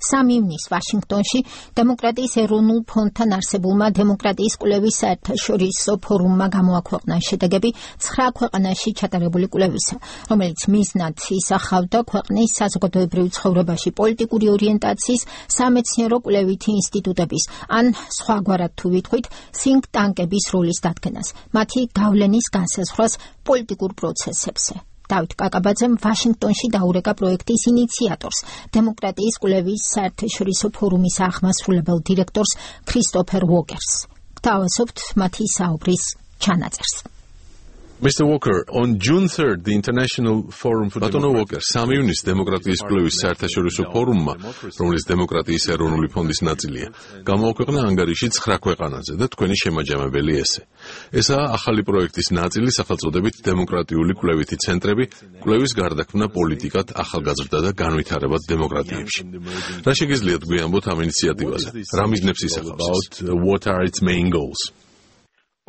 3 ივნისს ვაშინგტონში დემოკრატიის ეროვნულ ფონდთან არსებულმა დემოკრატიის კვლევის საერთაშორისო ფორუმმა გამოაქვეყნა შედეგები 9 ქვეყანაში ჩატარებული კვლევისა, რომელიც მიზნად ისახავდა ქვეყნის საზოგადოებრივ ცხოვრებაში პოლიტიკური ორიენტაციის სამეცნიერო კვლევითი ინსტიტუტების ან სხვაგვარად თუ ვიტყვით think tank-ების როლის დადგენას, მათი გავლენის განსაზღვრას პოლიტიკურ პროცესებზე. დავით კაკაბაძემ ვაშინგტონში დაურეკა პროექტის ინიციატორს, დემოკრატიის კვლევის საერთაშორისო ფორუმის აღმასრულებელ დირექტორს ქრისტოფერ უოკერს. გთავაზობთ მათი საუბრის ჩანაწერს. Mr. Walker, on June 3rd, the International Forum for Democracy 3 ივნისს დემოკრატიის კვლევის საერთაშორისო ფორუმმა, რომელიც დემოკრატიის ეროვნული ფონდის ნაწილია, გამოაქვეყნა ანგარიში 9 ქვეყანაზე და თქვენი შემაჯამებელი ესე. ესაა ახალი პროექტის ნაწილი სახელწოდებით დემოკრატიული კვლევითი ცენტრები, კვლევის გარდაქმნა პოლიტიკად, ახალგაზრდა და განვითარებად დემოკრატიებში. რა შეგიძლიათ გვიამბოთ ამ ინიციატივაზე? რა მიზნებს ისახავს? What are its main goals?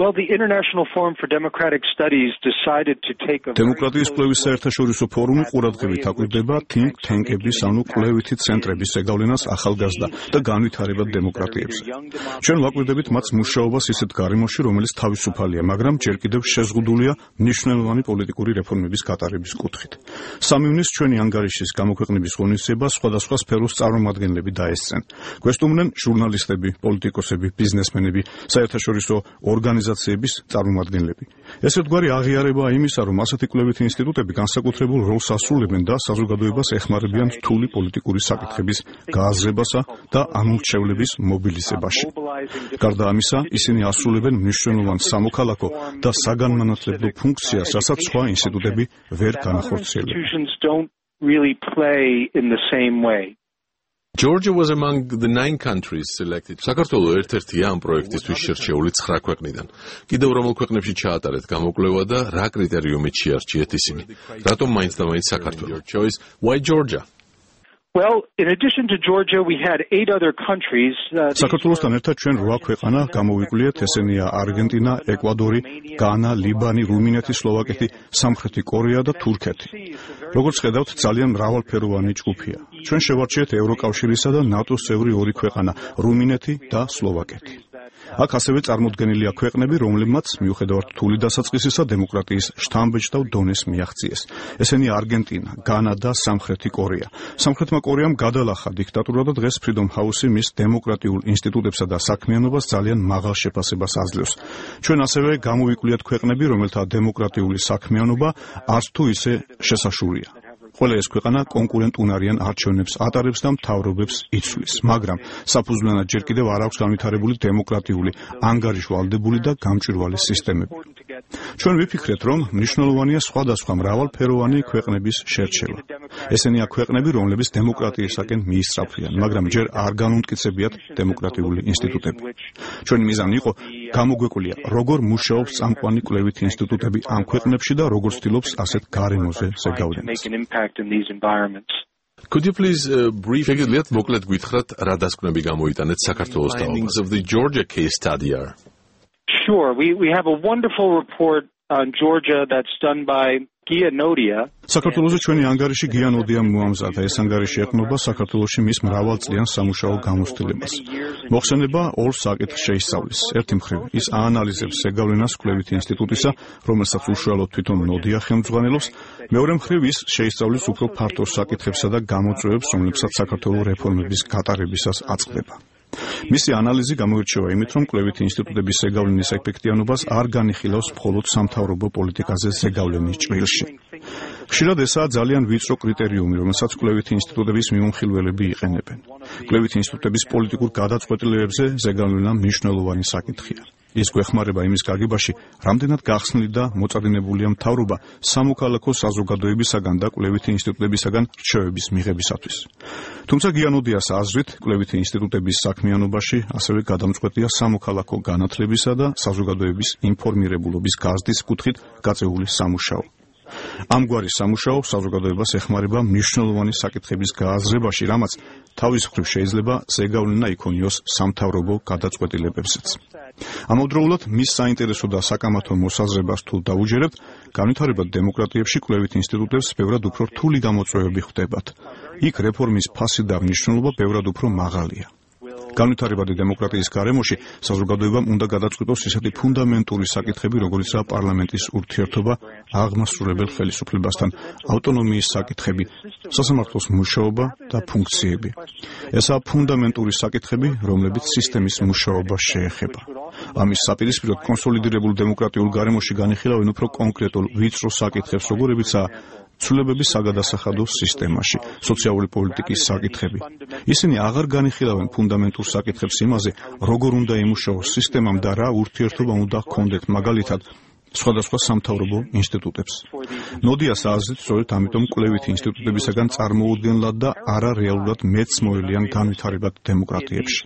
Well, the International Forum for Democratic Studies decided to take a დემოკრატიის კვლევის საერთაშორისო ფორუმი ყურადღებით აკვირდება think tank-ების ანუ კვლევითი ცენტრების ზეგავლენას ახალგაზრდა და განვითარებად დემოკრატიებზე. ჩვენ ვაკვირდებით მათ მუშაობას ისეთ გარემოში, რომელიც თავისუფალია, მაგრამ ჯერ კიდევ შეზღუდულია მნიშვნელოვანი პოლიტიკური რეფორმების გატარების კუთხით. 3 ივნისს ჩვენი ანგარიშის გამოქვეყნების ღონისძიება სხვადასხვა სფეროს წარმომადგენლები დაესწრნენ. გვესტუმრნენ ჟურნალისტები, პოლიტიკოსები, ბიზნესმენები, საერთაშორისო ორგანიზაციების წარმომადგენლები. ეს ერთგვარი აღიარებაა იმისა, რომ ასეთი კვლევითი ინსტიტუტები განსაკუთრებულ როლს ასრულებენ და საზოგადოებას ეხმარებიან რთული პოლიტიკური საკითხების გააზრებასა და ამორჩევლების მობილიზებაში. გარდა ამისა, ისინი ასრულებენ მნიშვნელოვან სამოქალაქო და საგანმანათლებლო ფუნქციას, რასაც სხვა ინსტიტუტები ვერ განახორციელებენ. Georgia was among the 9 countries selected. საქართველო ერთ-ერთია ამ პროექტისთვის შერჩეული 9 ქვეყნიდან. კიდევ რომელ ქვეყნებში ჩაატარეთ გამოკვლევა და რა კრიტერიუმით შეარჩიეთ ისინი? რატომ მაინც და მაინც საქართველო? Choice, why Georgia? Well, in addition to Georgia, we had 8 other countries. საქართველოსთან ერთად ჩვენ 8 ქვეყანა გამოვიკვლიეთ, ესენია არგენტინა, ეკვადორი, განა, ლიბანი, რუმინეთი, სლოვაკეთი, სამხრეთი კორეა და თურქეთი. როგორც ხედავთ, ძალიან მრავალფეროვანი ჯგუფია. ჩვენ შევარჩიეთ ევროკავშირისა და ნატოს წევრი 2 ქვეყანა, რუმინეთი და სლოვაკეთი. აქ ასევე წარმოდგენილია ქვეყნები, რომლებმაც მიუხედავად რთული დასაწყისისა დემოკრატიის შთამბეჭდავ დონეს მიაღწიეს. ესენია არგენტინა, განა და სამხრეთი კორეა. სამხრეთმა კორეამ გადალახა დიქტატურა და დღეს Freedom House-ი მის დემოკრატიულ ინსტიტუტებსა და საქმიანობას ძალიან მაღალ შეფასებას აძლევს. ჩვენ ასევე გამოვიკვლიათ ქვეყნები, რომელთა დემოკრატიული საქმიანობა არც თუ ისე შესაშურია. ყველა ეს ქვეყანა კონკურენტუნარიან არჩევნებს ატარებს და მთავრობებს იცვლის, მაგრამ საფუძვლიანად ჯერ კიდევ არ აქვს განვითარებული დემოკრატიული, ანგარიშვალდებული და გამჭვირვალე სისტემები. ჩვენ ვიფიქრეთ, რომ მნიშვნელოვანია სხვადასხვა მრავალფეროვანი ქვეყნების შერჩევა. ესენია ქვეყნები, რომლებიც დემოკრატიისაკენ მიისწრაფვიან, მაგრამ ჯერ არ განუმტკიცებიათ დემოკრატიული ინსტიტუტები. ჩვენი მიზანი იყო გამოგვეკვლია, როგორ მუშაობს წამყვანი კვლევითი ინსტიტუტები ამ ქვეყნებში და როგორ ცდილობს ასეთ გარემოზე ზეგავლენას. Could you please შეგიძლიათ მოკლედ გითხრათ, რა დასკვნები გამოიტანეთ საქართველოს თაობას? Of the Georgia case study are? Sure, we have a wonderful report on Georgia that's done by საქართველოში ჩვენი ანგარიში გიანოდიამ მოამზადა. ეს ანგარიში ეხმობა საქართველოში მის მრავალწლიან სამუშაო გამოცდილებას. მოხსენება 2 საკითხს შეისწავლის. ერთი მხრივ, ის აანალიზებს ზეგავლენას კვლევითი ინსტიტუტისა, რომელსაც უშუალოდ თვითონ ნოდია ხელმძღვანელობს. მეორე მხრივ, ის შეისწავლის უფრო ფართო საკითხებსა და გამოწვევებს, რომლებსაც საქართველოს რეფორმების გატარებისას აწყდება. მისი ანალიზი გამოირჩევა იმით, რომ კვლევითი ინსტიტუტების ზეგავლენის ეფექტიანობას არ განიხილავს მხოლოდ სამთავრობო პოლიტიკაზე ზეგავლენის ჭრილში. ხშირად ესაა ძალიან ვიწრო კრიტერიუმი, რომელსაც კვლევითი ინსტიტუტების მიმოხილველები იყენებენ. კვლევითი ინსტიტუტების პოლიტიკურ გადაწყვეტილებებზე ზეგავლენა მნიშვნელოვანი საკითხია. ის გვეხმარება იმის გაგებაში, რამდენად გახსნილი და მოწადინებულია მთავრობა სამოქალაქო საზოგადოებისაგან და კვლევითი ინსტიტუტებისაგან რჩევების მიღებისათვის. თუმცა გიანოდიას აზრით, კვლევითი ინსტიტუტების საქმიანობაში ასევე გადამწყვეტია სამოქალაქო განათლებისა და საზოგადოების ინფორმირებულობის გაზრდის კუთხით გაწეული სამუშაო. ამგვარი სამუშაო საზოგადოებას ეხმარება მნიშვნელოვანი საკითხების გააზრებაში, რამაც თავის მხრივ შეიძლება ზეგავლენა იქონიოს სამთავრობო გადაწყვეტილებებზეც. ამავდროულად მის საინტერესო და საკამათო მოსაზრებას თუ დაუჯერებთ, განვითარებად დემოკრატიებში კვლევით ინსტიტუტებს ბევრად უფრო რთული გამოწვევები ხვდებათ. იქ რეფორმის ფასი და მნიშვნელობა ბევრად უფრო მაღალია. განვითარებადი დემოკრატიის გარემოში საზოგადოებამ უნდა გადაწყვიტოს ისეთი ფუნდამენტური საკითხები, როგორიცაა პარლამენტის ურთიერთობა აღმასრულებელ ხელისუფლებასთან, ავტონომიის საკითხები, სასამართლოს მუშაობა და ფუნქციები. ესაა ფუნდამენტური საკითხები, რომლებიც სისტემის მუშაობას შეეხება. ამის საპირისპიროდ კონსოლიდირებულ დემოკრატიულ გარემოში განიხილავენ უფრო კონკრეტულ ვიწრო საკითხებს, როგორებიცაა ცვლილებების საგადასახადო სისტემაში, სოციალური პოლიტიკის საკითხები. ისინი აღარ განიხილავენ ფუნდამენტურ საკითხებს იმაზე, როგორ უნდა იმუშაოს სისტემამ და რა ურთიერთობა უნდა ჰქონდეთ მაგალითად სხვადასხვა სამთავრობო ინსტიტუტებს. ნოდიას აზრით, სწორედ ამიტომ კვლევითი ინსტიტუტებისაგან წარმოუდგენლად და არა რეალურად მეც მოელიან განვითარებად დემოკრატიებში.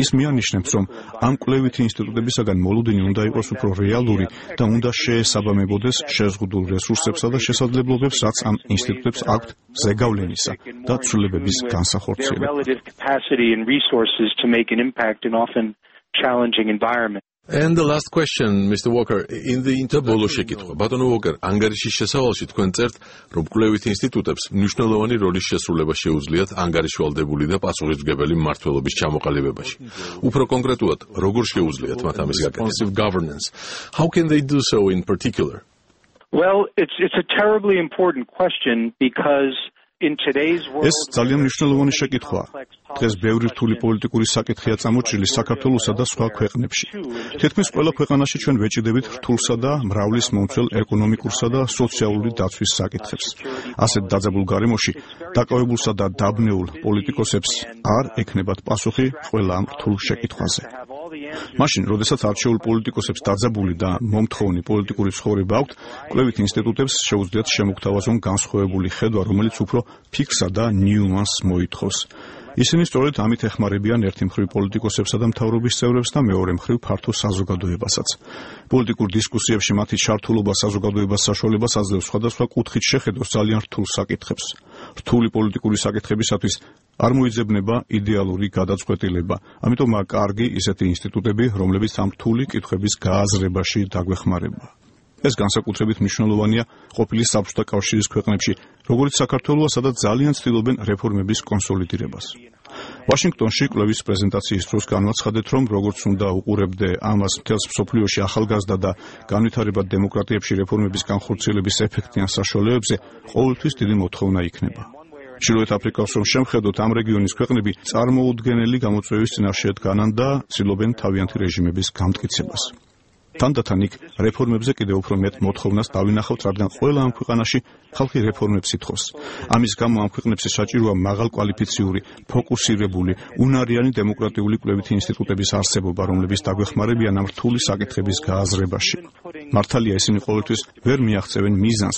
ის მიანიშნებს, რომ ამ კვლევითი ინსტიტუტებისაგან მოლოდინი უნდა იყოს უფრო რეალური და უნდა შეესაბამებოდეს შეზღუდულ რესურსებსა და შესაძლებლობებს, რაც ამ ინსტიტუტებს აქვთ ზეგავლენისა და ცვლილებების განსახორციელებლად. And the last question, Mr. Walker, in the interview შეკითხვა. ბატონო Walker, ანგარიშის შესავალში თქვენ წერთ, რომ კვლევით ინსტიტუტებს მნიშვნელოვანი როლის შესრულება შეუძლიათ ანგარიშვალდებული და პასუხისმგებელი მმართველობის ჩამოყალიბებაში. უფრო კონკრეტულად, როგორ შეუძლიათ მათ ამის გაკეთება? Governance. How can they do so in particular? Well, it's a terribly important question because ეს ძალიან მნიშვნელოვანი შეკითხვაა. დღეს ბევრი რთული პოლიტიკური საკითხია წამოჭრილი საქართველოსა და სხვა ქვეყნებში. თითქმის ყველა ქვეყანაში ჩვენ ვეჭიდებით რთულსა და მრავლის მომცველ ეკონომიკურსა და სოციალური დაცვის საკითხებს. ასეთ დაძაბულ გარემოში დაკავებულსა და დაბნეულ პოლიტიკოსებს არ ექნებათ პასუხი ყველა ამ რთულ შეკითხვაზე. მაშინ, როდესაც არჩეულ პოლიტიკოსებს დაძაბული და მომთხოვნი პოლიტიკური ცხოვრება აქვთ, კვლევით ინსტიტუტებს შეუძლიათ შემოგთავაზონ განსხვავებული ხედვა, რომელიც უფრო ფიქსა და ნიუანსს მოითხოვს. ისინი სწორედ ამით ეხმარებიან ერთი მხრივ პოლიტიკოსებსა და მთავრობის წევრებს და მეორე მხრივ ფართო საზოგადოებასაც. პოლიტიკურ დისკუსიებში მათი ჩართულობა საზოგადოებას საშუალებას აძლევს სხვადასხვა კუთხით შეხედოს ძალიან რთულ საკითხებს. რთული პოლიტიკური საკითხებისათვის არ მოიძებნება იდეალური გადაწყვეტილება. ამიტომაა კარგი ისეთი ინსტიტუტები, რომლებიც ამ რთული კითხვების გააზრებაში დაგვეხმარება. ეს განსაკუთრებით მნიშვნელოვანია ყოფილი საბჭოთა კავშირის ქვეყნებში, როგორც საქართველოს, სადაც ძალიან ცდილობენ რეფორმების კონსოლიდირებას. ვაშინგტონში კვლევის პრეზენტაციის დროს განვაცხადეთ, რომ როგორც უნდა უყურებდე ამას მთელს მსოფლიოში ახალგაზრდა და განვითარებად დემოკრატიებში რეფორმების განხორციელების ეფექტიან საშუალებებზე ყოველთვის დიდი მოთხოვნა იქნება. ჩრდილოეთ აფრიკას რომ შემხედოთ, ამ რეგიონის ქვეყნები წარმოუდგენელი გამოწვევის წინაშე დგანან და ცდილობენ თავიანთი რეჟიმების გამტკიცებას. თანდათან იქ რეფორმებზე კიდევ უფრო მეტ მოთხოვნას დავინახავთ, რადგან ყველა ამ ქვეყანაში ხალხი რეფორმებს ითხოვს. ამის გამო ამ ქვეყნებში საჭიროა მაღალკვალიფიციური, ფოკუსირებული, უნარიანი დემოკრატიული კვლევითი ინსტიტუტების არსებობა, რომლებიც დაგვეხმარებიან ამ რთული საკითხების გააზრებაში. მართალია, ისინი ყოველთვის ვერ მიაღწევენ მიზანს,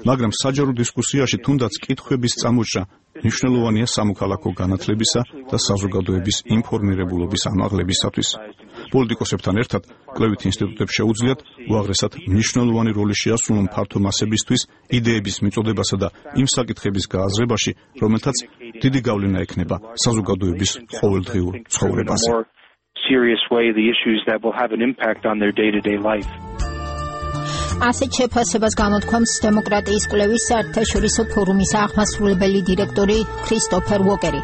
მაგრამ საჯარო დისკუსიაში თუნდაც კითხვების წამოჭრა მნიშვნელოვანია სამოქალაქო განათლებისა და საზოგადოების ინფორმირებულობის ამაღლებისათვის. პოლიტიკოსებთან ერთად კვლევით ინსტიტუტებს შეუძლიათ უაღრესად მნიშვნელოვანი როლი შეასრულონ ფართო მასებისთვის იდეების მიწოდებასა და იმ საკითხების გააზრებაში, რომელთაც დიდი გავლენა ექნება საზოგადოების ყოველდღიურ ცხოვრებაზე. ასეთ შეფასებას გამოთქვამს დემოკრატიის კვლევის საერთაშორისო ფორუმის აღმასრულებელი დირექტორი ქრისტოფერ უოკერი.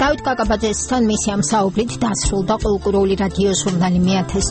დავით კაკაბაძესთან მისი ამ საუბრით დასრულდა ყოველკვირეული რადიო ჟურნალი 1000